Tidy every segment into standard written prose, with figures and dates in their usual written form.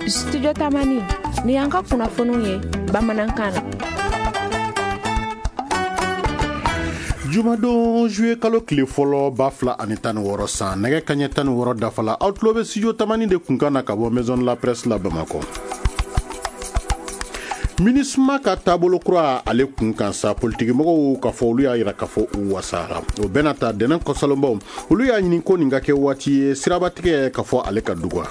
Studio Tamani, ni y'an ka kunnafoniw ye bamanankan na. Jumadon juillet kalo tile fɔlɔ 2016 san, nɛgɛ kaɲɛ 16 dafala, aw tulo bɛ studio Tamani de kunkan na ka bɔ Maison de la Presse la Bamakɔ. MINUSMA ka taabolo kura ale kun kan sa, politikimɔgɔw k'a fɔ olu y'a yira k'a fɔ u wasara. O bɛna ta dɛnɛn kɔsalonbaw, olu y'a ɲini ko nin ka kɛ waati ye sirabatigɛ k'a fɔ ale ka duga.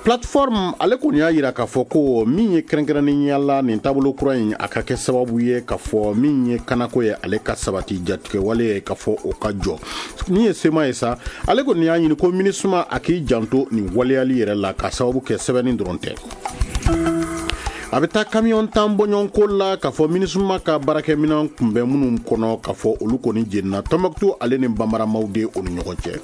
Plateforme ale kɔni y'a yira k'a fɔ ko min ye kɛrɛnkɛrɛnnenya la nin taabolo kura in, a ka kɛ sababu ye k'a fɔ min ye kanako ye ale ka sabati, jatigɛwale ye k'a fɔ o ka jɔ. Min ye CMA ye sa, ale kɔni y'a ɲini ko MINUSMA a k'i janto nin waleyali yɛrɛ la, k'a sababu kɛ sɛbɛnni dɔrɔn tɛ. A bɛ taa kamiyɔn 10 bɔɲɔgɔnko la k'a fɔ MINUSMA ka baarakɛminɛn kunbɛn minnu kɔnɔ, k'a fɔ olu kɔni jenina Tɔnbɔkutu ale ni Banbaramaw de o ni ɲɔgɔn cɛ.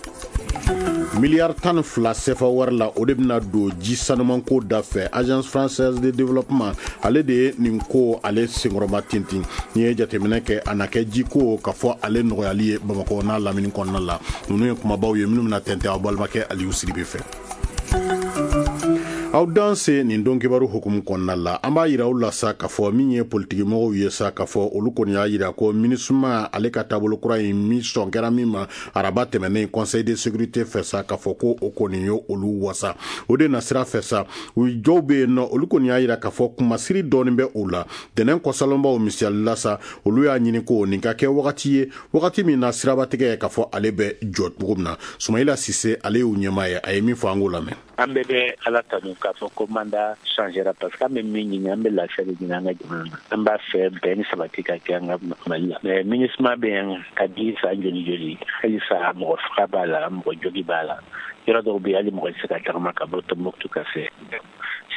Miliyari 12 sefa wari la, o de bɛna don ji sanumanko da fɛ. Agence française de développement ale de ye nin ko ale senkɔrɔma tintin. N'i ye jateminɛ kɛ, a na kɛ jiko k'a fɔ ale nɔgɔyali ye Bamakɔ n'a lamini kɔnɔna la. Ninnu ye kumabaw ye minnu bɛna tɛntɛn aw balimakɛ Aliyu Sidibe fɛ. Aw danse nin don kibaru hukumu kɔnɔna la, an b'a yira aw la sa k'a fɔ min ye politikimɔgɔw ye sa, k'a fɔ olu kɔni y'a yira ko MINUSMA ale ka taabolo kura in min sɔn kɛra min ma araba tɛmɛnen conseil de sécurité fɛ sa, k'a fɔ ko o kɔni ye olu wasa. O de nasira fɛ sa, u dɔw bɛ yen nɔ, olu kɔni y'a yira k'a fɔ kumasiri dɔɔnin bɛ u la. Dɛnɛn kɔsalonbaw misali la sa, olu y'a ɲini ko nin ka kɛ wagati ye, wagati min na sirabatigɛ k'a fɔ ale bɛ jɔ cogo min na. Sumayila Sise ale y'u ɲɛmaa ye, a ye min fɔ an k'o lamɛn. An bɛɛ bɛ Ala tanu k'a fɔ ko mandat changera, parce que an bɛ min ɲini, an bɛ lafiya de ɲini an ka jamana na. An b'a fɛ bɛn ni sabati ka kɛ an ka Mali la. Mais MINUSMA bɛ yan ka di san joli joli, halisa mɔgɔ faga b'a la, mɔgɔ jogi b'a la. Yɔrɔ dɔw bɛ yen, hali mɔgɔ tɛ se ka tagama ka bɔ Tombouctou ka se.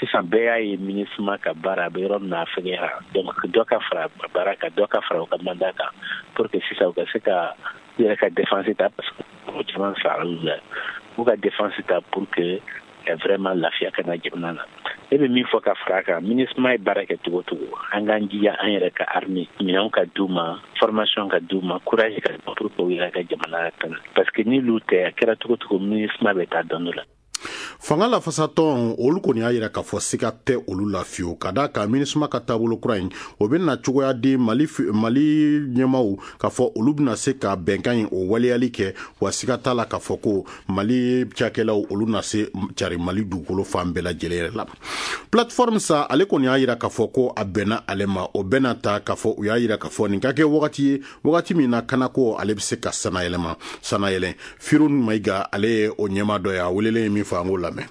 Sisan bɛɛ y'a ye MINUSMA ka baara a bɛ yɔrɔ min na, a fɛgɛyara. Donc dɔ ka fara baara kan, dɔ ka fara u ka mandat kan, pour que sisan u ka se ka u yɛrɛ ka défense ta, parce que mɔgɔ caman sara olu la. U ka défense ta pour que vraiment lafiya ka na jamana na. Ne bɛ min fɔ ka fara a kan, MINUSMA ye baara kɛ cogo o cogo, an k'an jija an yɛrɛ ka armée minɛnw ka d'u ma, formation ka d'u ma, courage ka pour que u yɛrɛ ka jamana lakana, parce que ni olu tɛ, a kɛra cogo o cogo, MINUSMA bɛ taa dɔn dɔ la. Fanga lafasatɔn olu kɔni y'a yira k'a fɔ siga tɛ olu la fiyewu, ka d'a kan MINUSMA ka taabolo kura in, o bɛna cogoya di Mali ɲɛmaw k'a fɔ olu bɛna se ka bɛnkan in o waleyali kɛ. Wa siga t'a la k'a fɔ ko Mali cakɛlaw olu na se cari Mali dugukolo fan bɛɛ lajɛlen yɛrɛ la. Plateforme sa, ale kɔni y'a yira k'a fɔ ko a bɛnna ale ma. O bɛnna ta k'a fɔ u y'a yira k'a fɔ nin ka kɛ wagati ye, wagati min na kanako ale bɛ se ka sanayɛlɛma sanayɛlɛ. Firun Mayiga ale ye o ɲɛmaa dɔ ye, a welelen ye min fɔ, an k'o lamɛn.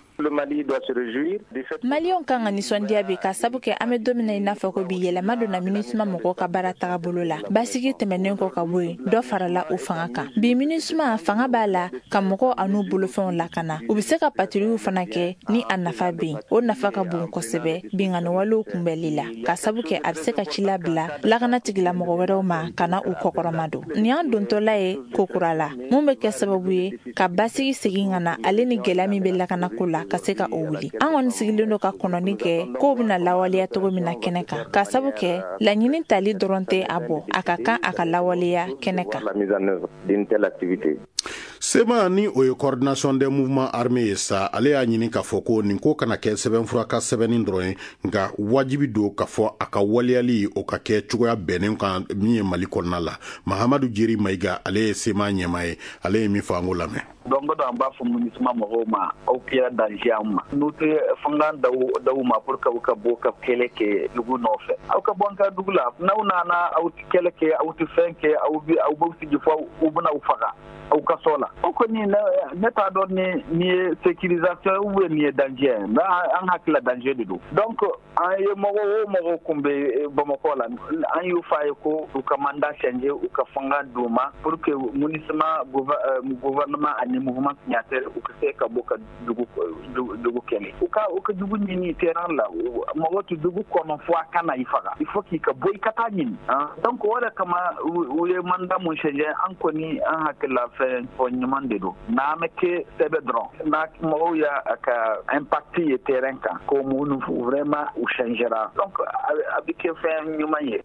Maliyɛnw kan ka nisɔndiya bi, ka sabu kɛ an bɛ don min na i n'a fɔ ko bi, yɛlɛma donna MINUSMA mɔgɔw ka baara tagabolo la. Basigi tɛmɛnen kɔ ka bɔ yen, dɔ farala u fanga kan. Bi MINUSMA fanga b'a la ka mɔgɔw an'u bolofɛnw lakana. U bɛ se ka patrouille fana kɛ ni a nafa bɛ yen. O nafa ka bon kosɛbɛ binkanniwalew kunbɛnli la, ka sabu kɛ a bɛ se ka ci labila lakana tigilamɔgɔ wɛrɛw ma ka na u kɔkɔrɔma don. Nin y'an dontɔla ye ko kura la, mun bɛ kɛ sababu ye ka basigi segin ka na, ale ni gɛlɛya min bɛ lakanako la ka se ka o wuli. An kɔni sigilen don ka kɔnɔni kɛ kow bɛna lawaleya cogo min na kɛnɛ kan, ka sabu kɛ laɲini tali dɔrɔn tɛ a bɔ, a ka kan a ka lawaleya kɛnɛ kan. CMA ni o ye coordination des mouvements armés ye sa, ale y'a ɲini k'a fɔ ko nin ko kana kɛ sɛbɛnfura ka sɛbɛnni dɔrɔn ye, nka wajibi don k'a fɔ a ka waleyali o ka kɛ cogoya bɛnnen kan min ye Mali kɔnɔna la. Mahamadu Jeri Mayiga ale ye CMA ɲɛmaa ye, ale ye min fɔ, an k'o lamɛn. Donc an b'a fɔ MINUSMA mɔgɔw ma, aw kɛra danger an ma. N'u tɛ fanga daw ma pour que u ka bɔ ka kɛlɛ kɛ dugu nɔfɛ, aw ka bɔ an ka dugu la. N'aw nana, aw tɛ kɛlɛ kɛ, aw tɛ fɛn kɛ, aw bɛ aw b'aw sigi fo u bɛna aw faga aw ka so la. O kɔni, ne t'a dɔn ni nin ye sécurisation ou bien nin ye danger ye, mais an hakili la danger de don. Donc an ye mɔgɔ o mɔgɔ kun bɛ Bamakɔ la, an y'u f'a ye ko u ka mandat changer, u ka fanga d'u ma pour que MINUSMA, gouvernement ani mouvement signataire u ka se ka bɔ ka dugu kɛlɛ. U ka dugu ɲini terrain la. Mɔgɔ tɛ dugu kɔnɔ fo a kana i faga, il faut k'i ka bɔ i ka taa ɲini. Donc o de kama u ye mandat mun changer, an kɔni an hakili la fɛn fɔ ɲuman de don. N'a ma kɛ sɛbɛ dɔrɔn, n'a mɔgɔw y'a ka impact ye terrain kan ko mun vraiment u changera, donc a bɛ kɛ fɛn ɲuman ye.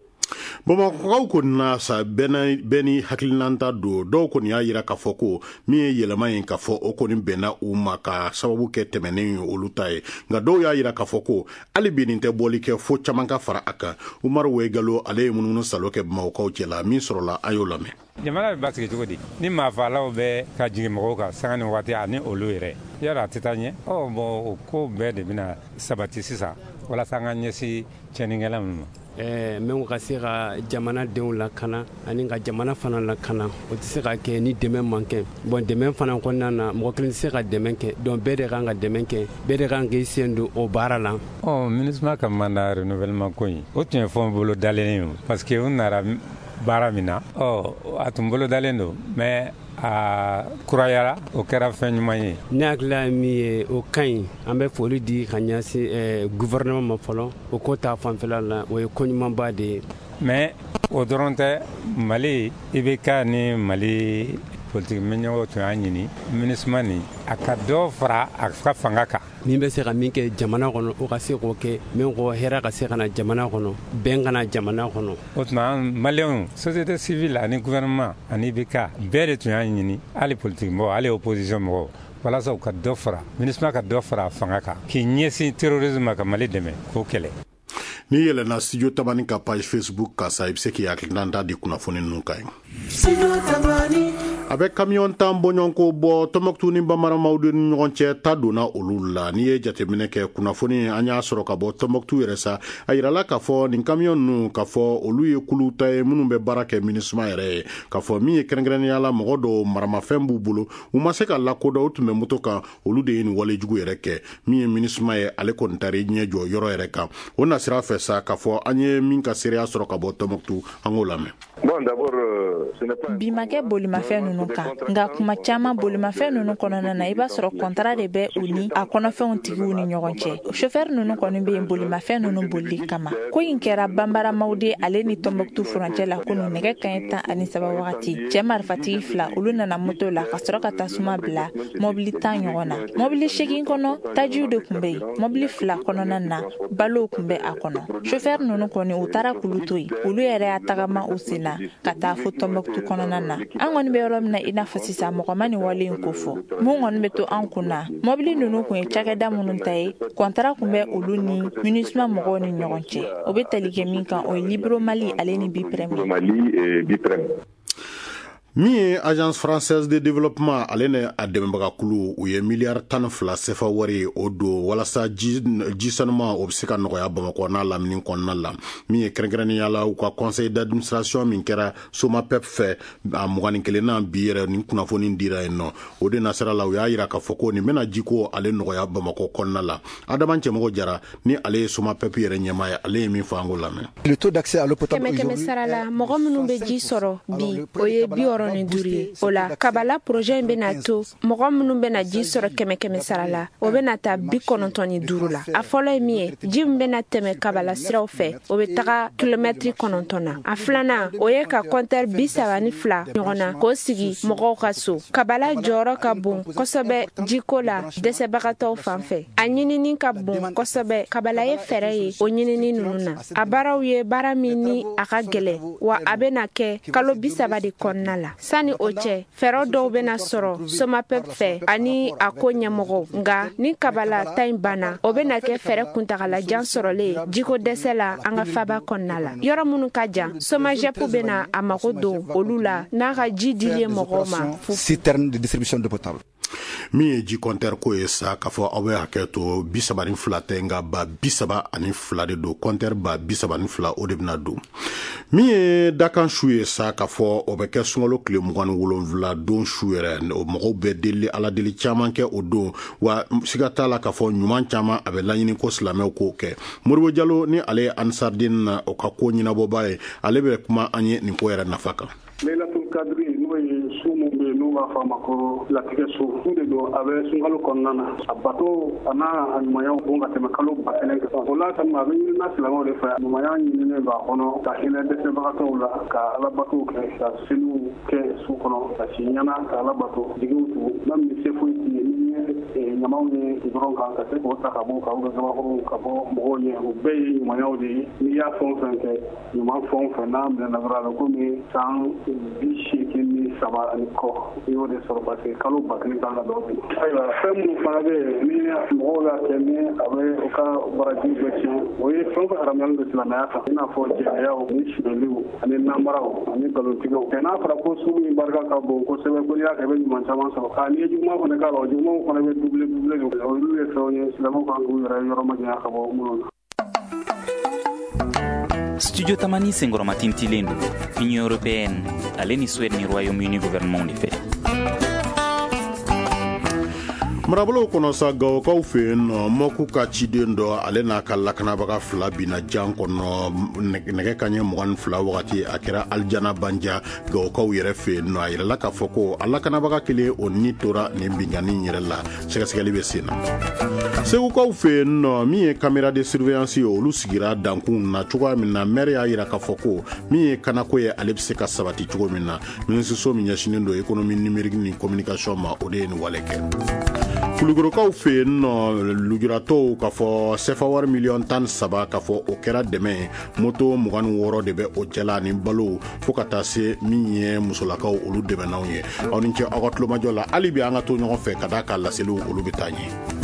Bamakɔkaw kɔni na sa, bɛɛ ni hakilinanta don. Dɔw kɔni y'a yira k'a fɔ ko min ye yɛlɛma ye, k'a fɔ o kɔni bɛnna u ma ka sababu kɛ tɛmɛnen ye olu ta ye. Nka dɔw y'a yira k'a fɔ ko hali bi nin tɛ bɔli kɛ, fo caman ka fara a kan. Umaru Wegalo, ale ye munumunu salo kɛ Bamakɔkaw cɛla. Min sɔrɔla, a y'o lamɛn. Jamana bɛ basigi cogo di ni maafalaw bɛ ka jigin mɔgɔw kan sanga ni waati ani olu yɛrɛ yala a tɛ taa ɲɛ? Ɔ bɔn, o ko bɛɛ de bɛna sabati sisan walasa an ka ɲɛsin tiɲɛnikɛla ninnu ma. Min ka se ka jamana denw lakana ani ka jamana fana lakana, o tɛ se ka kɛ ni dɛmɛ man kɛ. Bon, dɛmɛ fana kɔnɔna na, mɔgɔ kelen tɛ se ka dɛmɛ kɛ, donc bɛɛ de kan ka dɛmɛ kɛ, bɛɛ de kan k'i sen don o baara la. Ɔ, MINUSMA ka mandat renouvellement ko in, o tun ye fɛn bolo dalen ye, parce que u nana baara min na, ɔ, a tun bolo dalen don, mais a kurayara, o kɛra fɛn ɲuman ye. Ne hakilila ye min ye, o ka ɲi. An bɛ foli di ka ɲɛsin gouvernement ma fɔlɔ, o ko ta fanfɛla la, o ye ko ɲumanba de ye. Mais o dɔrɔn tɛ. Mali IBK ni Mali politiki ɲɛmɔgɔw tun y'a ɲini MINUSMA nin a ka dɔ fara a ka fanga kan. Min bɛ se ka min kɛ jamana kɔnɔ, o ka se k'o kɛ. Min ko hɛrɛ ka se ka na jamana kɔnɔ, bɛn ka na jamana kɔnɔ. O tuma maliyɛnw, société civile ani gouvernement ani IBK, bɛɛ de tun y'a ɲini, hali politiki mɔgɔw, hali opposition mɔgɔw, walasa u ka dɔ fara MINUSMA ka dɔ fara a fanga kan k'i ɲɛsin terrorisme ma, ka Mali dɛmɛ k'o kɛlɛ. N'i yɛlɛnna Studio Tamani ka page Facebook kan sa, i bɛ se k'i hakilinata di kunnafoni ninnu kan. A bɛ kamiyɔn 10 bɔɲɔgɔnko bɔ Tɔnbɔkutu ni Banbaramawudu ni ɲɔgɔn cɛ, ta donna olu la. N'i ye jateminɛ kɛ, kunnafoni an y'a sɔrɔ ka bɔ Tɔnbɔkutu yɛrɛ sa, a yirala k'a fɔ nin kamiyɔn ninnu, k'a fɔ olu ye kulu ta ye minnu bɛ baara kɛ MINUSMA yɛrɛ ye, k'a fɔ min ye kɛrɛnkɛrɛnnenya la, mɔgɔ dɔw maramafɛn b'u bolo, u ma se ka lakodɔn, u tun bɛ moto kan, olu de ye nin walejugu yɛrɛ kɛ. Min ye MINUSMA ye, ale kɔni taara i ɲɛ jɔ yɔrɔ yɛrɛ kan. O nasira fɛ sa, k'a fɔ an ye min ka seereya sɔrɔ ka bɔ Tɔnbɔkutu, an k'o lamɛn. Bi ma kɛ bolimafɛn ninnu kan, nka kuma caman bolimafɛn ninnu kɔnɔna na, i b'a sɔrɔ kɔntara de bɛ u ni a kɔnɔfɛnw tigiw ni ɲɔgɔn cɛ. Sofɛri ninnu kɔni bɛ yen bolimafɛn ninnu bolili kama. Ko in kɛra Banbaramawude ale ni Tɔnbɔkutu furancɛ la kunun nɛgɛ kaɲɛ 13 wagati. Cɛ marifatigi fila, olu nana moto la ka sɔrɔ ka tasuma bila mɔbili 10 ɲɔgɔn na. Mɔbili 8 kɔnɔ, tajiw de tun bɛ yen. Mɔbili fila kɔnɔna na, balow tun bɛ a kɔnɔ. Sofɛri ninnu kɔni, u taara k'olu to yen, olu yɛrɛ y'a tagama u sen na ka taa fo Tɔnbɔkutu kɔnɔna na. An kɔni bɛ yɔrɔ min na i n'a fɔ sisan, mɔgɔ ma nin wale in ko fɔ. Mun kɔni bɛ to an kun na, mɔbili ninnu kun ye cakɛda minnu ta ye, kɔntara kun bɛ olu ni MINUSMA mɔgɔw ni ɲɔgɔn cɛ. O bɛ tali kɛ min kan, o ye Libro Mali ale ni Biprem. Min ye Agence française de développement, ale ni a dɛmɛbagakulu, u ye miliyari 12 sefa wari o don walasa ji sanuma o bɛ se ka nɔgɔya Bamakɔ n'a lamini kɔnɔna la. Min ye kɛrɛnkɛrɛnnenya la, u ka conseil d'administration min kɛra Somapep fɛ a 21nan bi yɛrɛ, nin kunnafoni dira yen nɔ. O de nasira la, u y'a yira k'a fɔ ko nin bɛna jiko ale nɔgɔya Bamakɔ kɔnɔna la. Adama Cɛmɔgɔ Jara ni ale ye Somapep yɛrɛ ɲɛmaa ye, ale ye min fɔ, an k'o lamɛn. Kɛmɛ kɛmɛ sara la, mɔgɔ minnu bɛ ji sɔrɔ bi, o ye 65 ye. O la, Kabala projet in bɛna to mɔgɔ minnu bɛna ji sɔrɔ kɛmɛ kɛmɛ sara la, o bɛna taa 95 la. A fɔlɔ ye min ye, ji min bɛna tɛmɛ Kabala siraw fɛ, o bɛ taga kilomɛtiri 9 na. A filanan, o ye ka kɔntɛri 32 ɲɔgɔn na k'o sigi mɔgɔw ka so. Kabala jɔyɔrɔ ka bon kosɛbɛ jiko la dɛsɛbagatɔw fan fɛ. A ɲinini ka bon kosɛbɛ. Kabala ye fɛɛrɛ ye o ɲinini ninnu na. A baaraw ye baara min ni a ka gɛlɛn, wa a bɛna kɛ kalo 30 de kɔnɔna la. Sani o cɛ, fɛɛrɛ dɔw bɛna sɔrɔ Somapep fɛ ani a ko ɲɛmɔgɔw. Nka ni Kabala ta in banna, o bɛna kɛ fɛɛrɛ kuntagalajan sɔrɔlen jiko dɛsɛ la an ka faba kɔnɔna la. Yɔrɔ minnu ka jan, Somagep bɛna a mago don olu la n'a ka ji dilen mɔgɔw ma. Min ye ji kɔntɛri ko ye sa, k'a fɔ aw bɛ hakɛ to, 32 tɛ, nka ba 32 de don. Kɔntɛri ba 32, o de bɛna don. Min ye dakan su ye sa, k'a fɔ o bɛ kɛ sunkalo tile 27 don su yɛrɛ. O mɔgɔw bɛ deli, ala deli caman kɛ o don, wa siga t'a la k'a fɔ ɲuman caman a bɛ laɲini ko silamɛw k'o kɛ. Moribo Jalo ni ale ye Ansardine na o ka ko ɲɛnabɔba ye, ale bɛ kuma an ye nin ko yɛrɛ nafa kan. Laylatul Kadri, n'o ye su min bɛ yen n'u b'a fɔ a ma ko latigɛ su, su de don, a bɛ sunkalo kɔnɔna na. A bato a n'a a ɲumanya bon ka tɛmɛ kalo 1000 kan. O la kama, a bɛ ɲinina silamɛw de fɛ, ɲumanya ɲininen b'a kɔnɔ, ka hinɛ dɛsɛbagatɔw la, ka alabatow kɛ, ka seliw kɛ su kɔnɔ, ka si ɲɛna ka alabato jigiw tugu. Même ni se foyi t'i ye, n'i ye ɲamaw ye goudron kan, ka se k'o ta ka bɔ ka gabakuruw ka bɔ mɔgɔw ɲɛ, o bɛɛ ye ɲumanyaw de ye. N'i y'a fɛn o fɛn kɛ, ɲuman fɛn o fɛn n'a minɛna dɔrɔn, a bɛ komi san 83 ani kɔ i y'o de sɔrɔ, parce que kalo 1000 kan ka dɔw bi. Ayiwa, fɛn minnu fana bɛ yen ni mɔgɔw y'a kɛ ni a bɛ u ka baraji bɛɛ tiɲɛ, o ye fɛn o fɛn haramuyalen don silamɛya kan, i n'a fɔ jɛnɛyaw ni sonyɛliw ani namaraw ani nkalontigɛw. N'a fɔra ko sun min barika ka bon kosɛbɛ, ko n'i y'a kɛ i bɛ ɲuman caman sɔrɔ, n'i ye juguman fana k'a la, o jugumanw fana bɛ double double de. Olu ye fɛnw ye silamɛw kan k'u yɛrɛ yɔrɔ majanya ka bɔ minnu na. Studio Tamani senkɔrɔmatintilen don Union européenne ale ni Suède ni Royaume-Uni gouvernement de fɛ. Marabolow kɔnɔ sa, Gawokaw fɛ yen nɔ, Mɔku ka ciden dɔ, ale n'a ka lakanabaga fila binna jan kɔnɔ nɛgɛ kaɲɛ 22 wagati. A kɛra Alijana Banja, Gawokaw yɛrɛ fɛ yen nɔ. A yirala k'a fɔ ko a lakanabaga kelen, o ni tora nin binkanni yɛrɛ la. Sɛgɛsɛgɛli bɛ sen na. Segukaw fɛ yen nɔ, min ye caméra de surveillance ye, olu sigira dankun na cogoya min na, maire y'a yira k'a fɔ ko min ye kanako ye, ale bɛ se ka sabati cogo min na. Minisiriso min ɲɛsinnen don économie numérique ni communication ma, o de ye nin wale kɛ. Kulukorokaw fɛ yen nɔ, lujuratɔw k'a fɔ sefa wari miliyɔn 13, k'a fɔ o kɛra dɛmɛ ye. Moto 26 de bɛ o cɛla ani balo, fo ka taa se min ye musolakaw, olu dɛmɛnaw ye. Aw ni ce aw ka tulomajɔ la. Hali bi an ka to ɲɔgɔn fɛ ka d'a ka laseliw olu bɛ taa ɲɛ.